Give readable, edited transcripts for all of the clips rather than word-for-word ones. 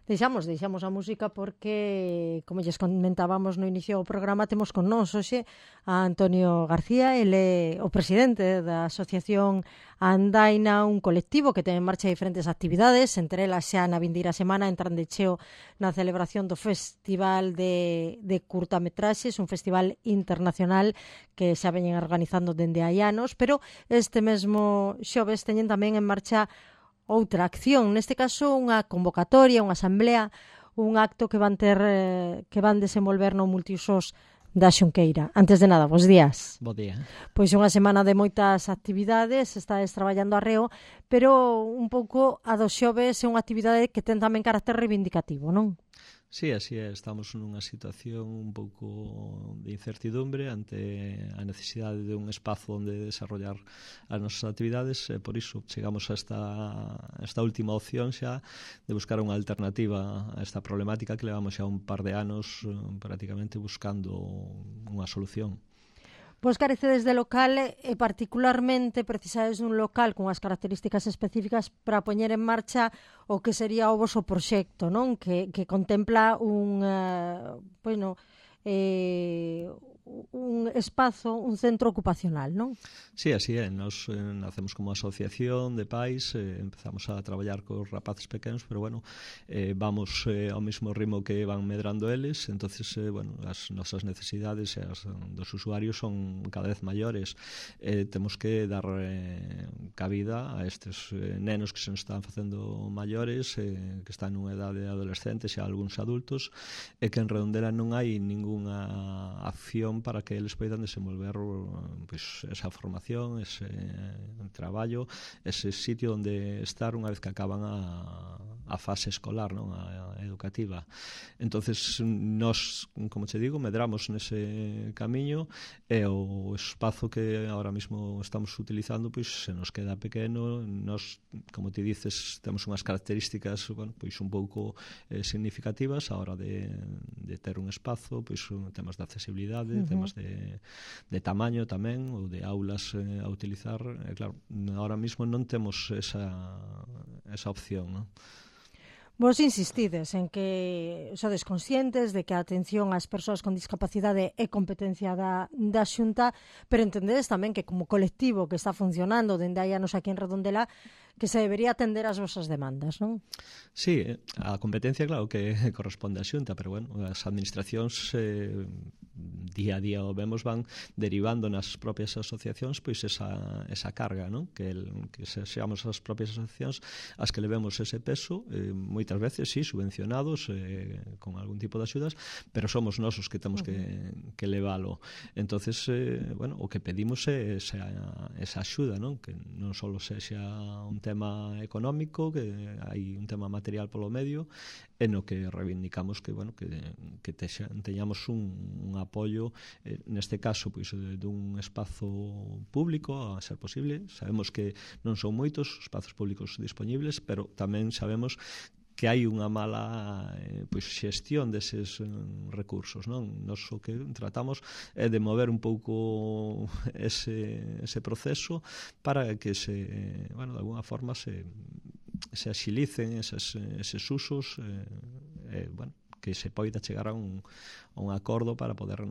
Deixamos a música porque, como lles comentábamos no inicio do programa, temos con nós hoxe a Antonio García. Ele é o presidente da Asociación Andaina, un colectivo que ten en marcha diferentes actividades, entre elas xa na vindeira semana entran de cheo na celebración do Festival de Curtametraxes, un festival internacional que xa veñen organizando dende hai anos, pero este mesmo xoves teñen tamén en marcha outra acción, neste caso unha convocatoria, unha asamblea, un acto que van ter que van desenvolver no multiusos da Xunqueira. Antes de nada, bos días. Bo día. Pois unha semana de moitas actividades, estades traballando arreo, pero un pouco a dos xoves é unha actividade que ten tamén carácter reivindicativo, non? Sí, así é. Estamos nunha situación un pouco de incertidumbre ante a necesidade de un espazo onde desarrollar as nosas actividades e por iso chegamos a esta última opción xa de buscar unha alternativa a esta problemática que levamos xa un par de anos prácticamente buscando unha solución. Vos carecedes de local e particularmente precisades dun local con as características específicas para poñer en marcha o que sería o voso proxecto, non? Que contempla un espazo, un centro ocupacional, non? Sí, así é. Nos nacemos como asociación de pais, empezamos a traballar cos rapaces pequenos, pero bueno, vamos ao mesmo ritmo que van medrando eles, entonces, as nosas necesidades e as dos usuarios son cada vez maiores. Temos que dar cabida a estes nenos que se nos están facendo maiores, que están nunha edade adolescente, xa algúns adultos, e que en Redondela non hai ningunha acción para que eles poidan desenvolver pois, esa formación, ese traballo, ese sitio onde estar unha vez que acaban a fase escolar, non? A educativa. Entonces, nós, como che digo, medramos nese camiño e o espazo que ahora mismo estamos utilizando pois se nos queda pequeno. Nós, como te dices, temos unhas características pois un pouco significativas a hora de ter un espazo, pois temas de accesibilidade, temas de tamaño tamén, ou de aulas a utilizar. Claro, ahora mismo non temos esa opción, non? Vos insistides en que sodes conscientes de que a atención ás persoas con discapacidade é competencia da Xunta, pero entendedes tamén que como colectivo que está funcionando dende hai anos aquí en Redondela, que se debería atender as vosas demandas, non? Sí, a competencia, claro, que corresponde á Xunta, pero bueno, as administracións día a día o vemos van derivando nas propias asociacións pois esa carga, non? Que seamos as propias asociacións as que levemos ese peso, moitas veces, sí, subvencionados con algún tipo de axudas, pero somos nós os que temos que leválo. Entonces, o que pedimos é esa axuda, non? Que non só sexa un tema económico, que hai un tema material polo medio, e no que reivindicamos que teñamos un apoio, neste caso, pois, dun espazo público, a ser posible. Sabemos que non son moitos os espazos públicos dispoñibles, pero tamén sabemos que hai unha mala xestión deses recursos, non? Nos o que tratamos é de mover un pouco ese proceso para que de alguna forma se axilicen eses usos, que se poida chegar a un acordo para poder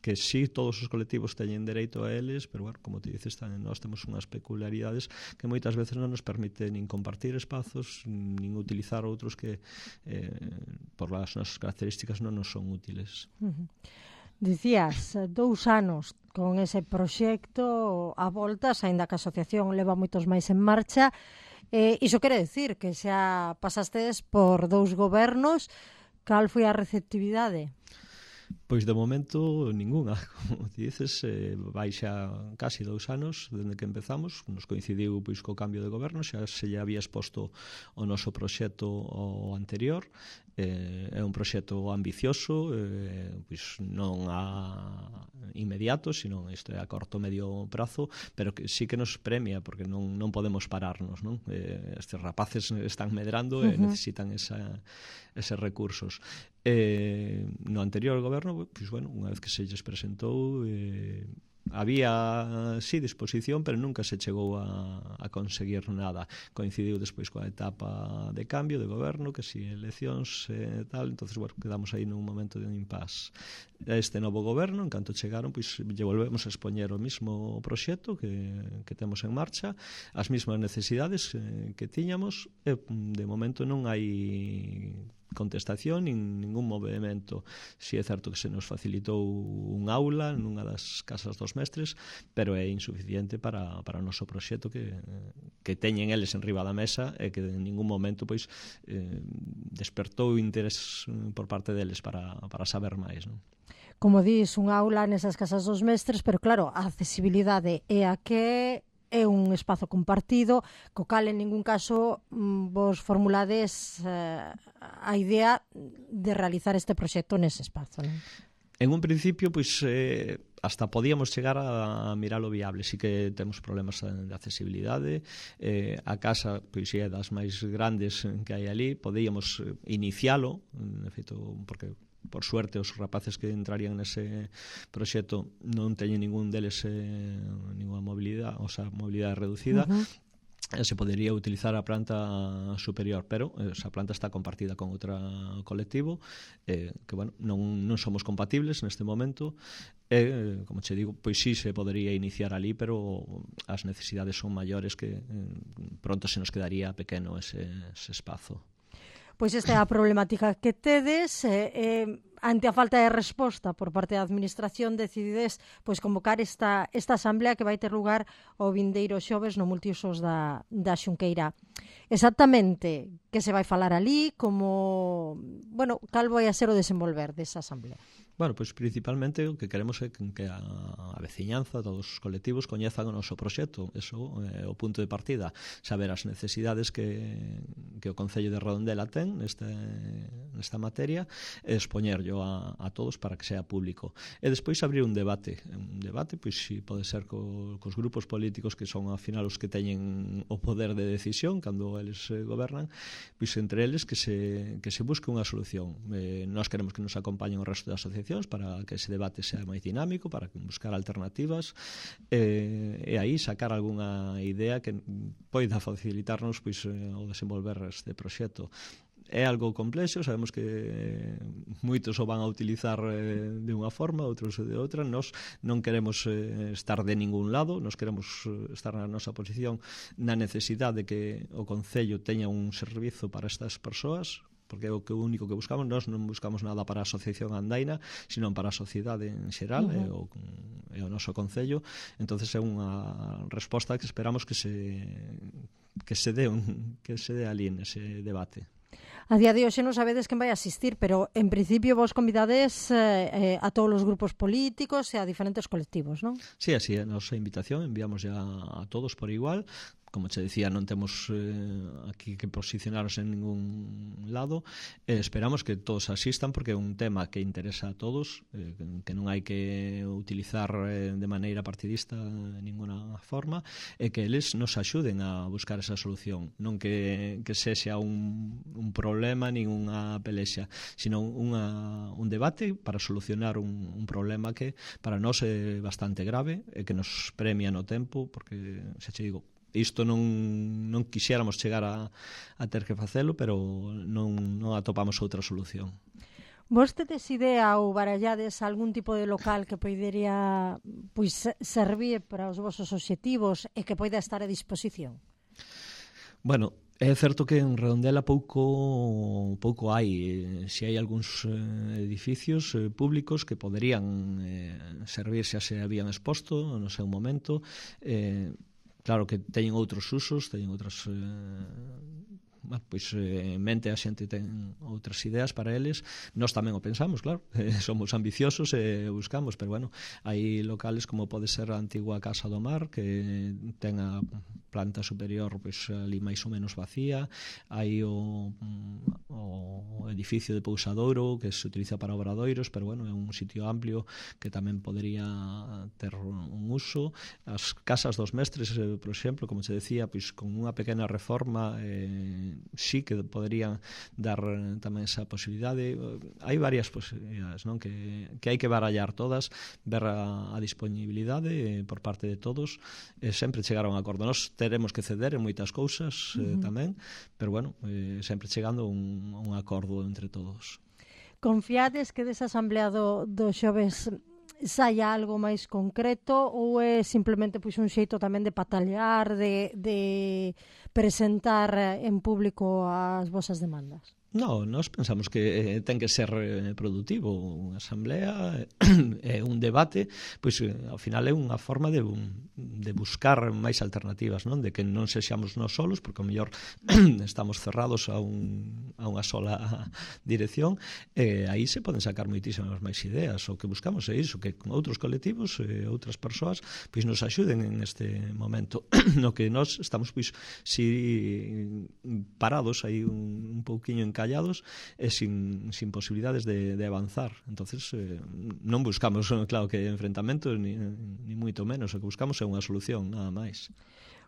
que sí, todos os colectivos teñen dereito a eles, pero como te dices, nós temos unhas peculiaridades que moitas veces non nos permiten nin compartir espazos, nin utilizar outros que por as nosas características non nos son útiles. Dicías, 2 anos con ese proxecto a voltas, aínda que a asociación leva moitos máis en marcha. Iso quere decir que xa pasastedes por 2 gobernos. Cal foi a receptividade? Pois de momento ningunha, como te dices, vai xa casi 2 anos dende que empezamos, nos coincidiu pois co cambio de goberno, xa se lle había exposto o noso proxecto ao anterior. É un proxecto ambicioso, pois non a inmediato, sino isto é a corto medio prazo, pero que sí que nos premia, porque non podemos pararnos, non? Estes rapaces están medrando e necesitan eses recursos. No anterior goberno, pois unha vez que se lles presentou, había, sí, disposición, pero nunca se chegou a conseguir nada. Coincidiu despois coa etapa de cambio de goberno, que si eleccións tal, entonces, bueno, quedamos aí nun momento de impasse. Este novo goberno, en canto chegaron, pois lle volvemos a expoñer o mismo proxecto que temos en marcha, as mesmas necesidades que tiñamos, e de momento non hai contestación nin ningún movimento. Si é certo que se nos facilitou un aula nunha das casas dos mestres, pero é insuficiente para o noso proxecto que teñen eles en riba da mesa e que en ningún momento pois despertou interés por parte deles para saber máis, non? Como dís, un aula nesas casas dos mestres, pero claro, a accesibilidade é a que é un espazo compartido, co cal en ningún caso vos formulades a idea de realizar este proxecto nese espazo, non? En un principio, pois, hasta podíamos chegar a mirar o viable. Sí que temos problemas de accesibilidade. A casa, pois, é das máis grandes que hai ali. Podíamos inicialo, de feito, porque por suerte os rapaces que entrarían nese proxecto non teñen ningún deles ninguna mobilidade, ou sea, mobilidade reducida. Se podería utilizar a planta superior, pero esa planta está compartida con outro colectivo que, bueno, non somos compatibles neste momento e, como che digo, pois sí se podería iniciar ali, pero as necesidades son maiores que pronto se nos quedaría pequeno ese espazo. Pois esta é a problemática que tedes. Ante a falta de resposta por parte da Administración, decidides pois convocar esta asamblea que vai ter lugar o vindeiro xoves no multiusos da Xunqueira. Exactamente que se vai falar ali, como, bueno, cal vai a ser o desenvolver desa asamblea? Bueno, pois principalmente o que queremos é que a veciñanza, todos os colectivos coñezan o noso proxecto. Eso é o punto de partida, saber as necesidades que o Concello de Redondela ten nesta materia e expoñerlo a todos para que sea público. E despois abrir un debate, pois si pode ser cos grupos políticos que son ao final os que teñen o poder de decisión cando eles gobernan, pois entre eles que se busque unha solución. Nós queremos que nos acompañen o resto da asociación para que ese debate sea máis dinámico, para buscar alternativas e aí sacar algunha idea que poida facilitarnos pois o desenvolver este proxecto. É algo complexo, sabemos que moitos o van a utilizar de unha forma, outros de outra. Nós non queremos estar de ningún lado, nós queremos estar na nosa posición na necesidade de que o Concello teña un servizo para estas persoas, porque é o único que buscamos. Nós non buscamos nada para a Asociación Andaina, sino para a sociedade en xeral e o noso Concello. Entonces é unha resposta que esperamos que se dé ali nese debate. A día de hoxe non sabedes quen vai asistir, pero en principio vos convidades a todos os grupos políticos e a diferentes colectivos, non? Sí, así é a nosa invitación, enviamos ya a todos por igual. Como che dicía, non temos aquí que posicionarnos en ningún lado. Esperamos que todos asistan porque é un tema que interesa a todos, que non hai que utilizar de maneira partidista de ninguna forma, e que eles nos axuden a buscar esa solución. Non que sexa un problema nin unha pelexa, sino un debate para solucionar un problema que para nós é bastante grave e que nos premia no tempo, porque, xa che digo, isto non quixéramos chegar a ter que facelo, pero non atopamos outra solución. Vos tedes idea ou barallades algún tipo de local que podería servir para os vosos obxectivos e que poida estar a disposición? Bueno, é certo que en Redondela pouco hai. Se hai algúns edificios públicos que poderían servir, xa se habían exposto no seu momento. Claro que teñen outros usos, teñen outras pois en mente a xente ten outras ideas para eles. Nós tamén o pensamos, claro, somos ambiciosos e buscamos, pero bueno, hai locales como pode ser a antigua Casa do Mar, que ten a planta superior pois ali máis ou menos vacía. Hai o edificio de Pousadouro que se utiliza para obradoiros, pero bueno, é un sitio amplio que tamén podería ter un uso. As casas dos mestres, por exemplo, como se decía, pois con unha pequena reforma sí que poderían dar tamén esa posibilidade. Hai varias posibilidades, non? Que hai que barallar todas, ver a disponibilidade por parte de todos, sempre chegar a un acordo. Nós teremos que ceder en moitas cousas tamén, pero bueno, sempre chegando a un acordo entre todos. Confiades que desa asamblea do xoves saia algo máis concreto ou é simplemente un xeito tamén de patalear, de presentar en público as vosas demandas? No, nós pensamos que ten que ser productivo. Unha asamblea é un debate, pois ao final é unha forma de buscar máis alternativas, non? De que non sexamos nós solos, porque ao mellor estamos cerrados a unha sola dirección, aí se poden sacar moitísimas máis ideas. O que buscamos é iso, que con outros colectivos, outras persoas, pois nos axuden en este momento no que nós estamos pois si parados aí un pouquiño encallados e sin posibilidades de avanzar. Entonces non buscamos, claro, que enfrentamentos ni moito menos, o que buscamos é unha solución, nada máis.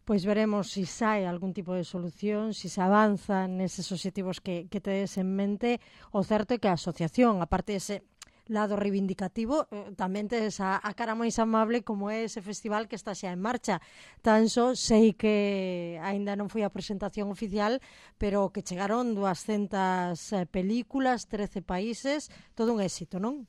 Pois veremos se sai algún tipo de solución, se avanza neses obxectivos que tedes en mente. O certo é que a asociación, aparte dese lado reivindicativo, tamén tes a cara máis amable como é ese festival que está xa en marcha. Tan só sei que aínda non foi a presentación oficial, pero que chegaron 200 películas, 13 países, todo un éxito, non?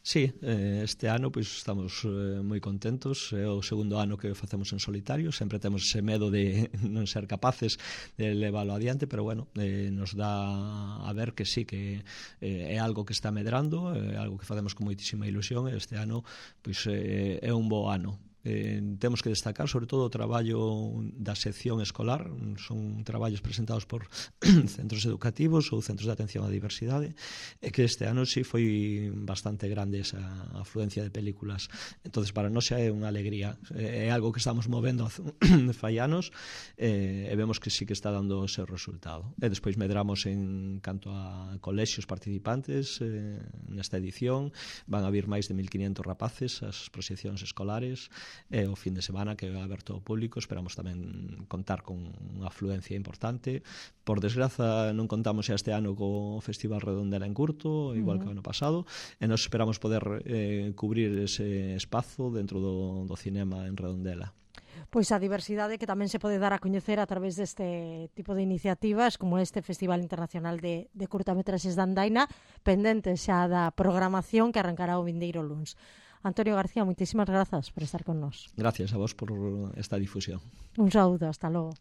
Sí, este ano pois estamos moi contentos. É o segundo ano que facemos en solitario. Sempre temos ese medo de non ser capaces de leválo adiante, pero bueno, nos dá a ver que sí, que é algo que está medrando, é algo que facemos con moitísima ilusión, e este ano pois é un bo ano. Temos que destacar sobre todo o traballo da sección escolar. Son traballos presentados por centros educativos ou centros de atención á diversidade, e que este ano sí foi bastante grande esa afluencia de películas. Entonces para nós xa é unha alegría, é algo que estamos movendo fai anos, e vemos que sí que está dando o seu resultado. E despois medramos en canto a colexios participantes nesta edición. Van a vir máis de 1500 rapaces ás proxeccións escolares, e o fin de semana que é aberto ao público esperamos tamén contar con unha afluencia importante. Por desgraza non contamos xa este ano co Festival Redondela en Curto, igual que o ano pasado, e nos esperamos poder cubrir ese espazo dentro do cinema en Redondela. Pois a diversidade que tamén se pode dar a coñecer a través deste tipo de iniciativas como este Festival Internacional de Curtametraxes de Andaina, pendente xa da programación que arrancará o vindeiro luns. Antonio García, moitísimas grazas por estar con nós. Gracias a vos por esta difusión. Un saúdo, hasta logo.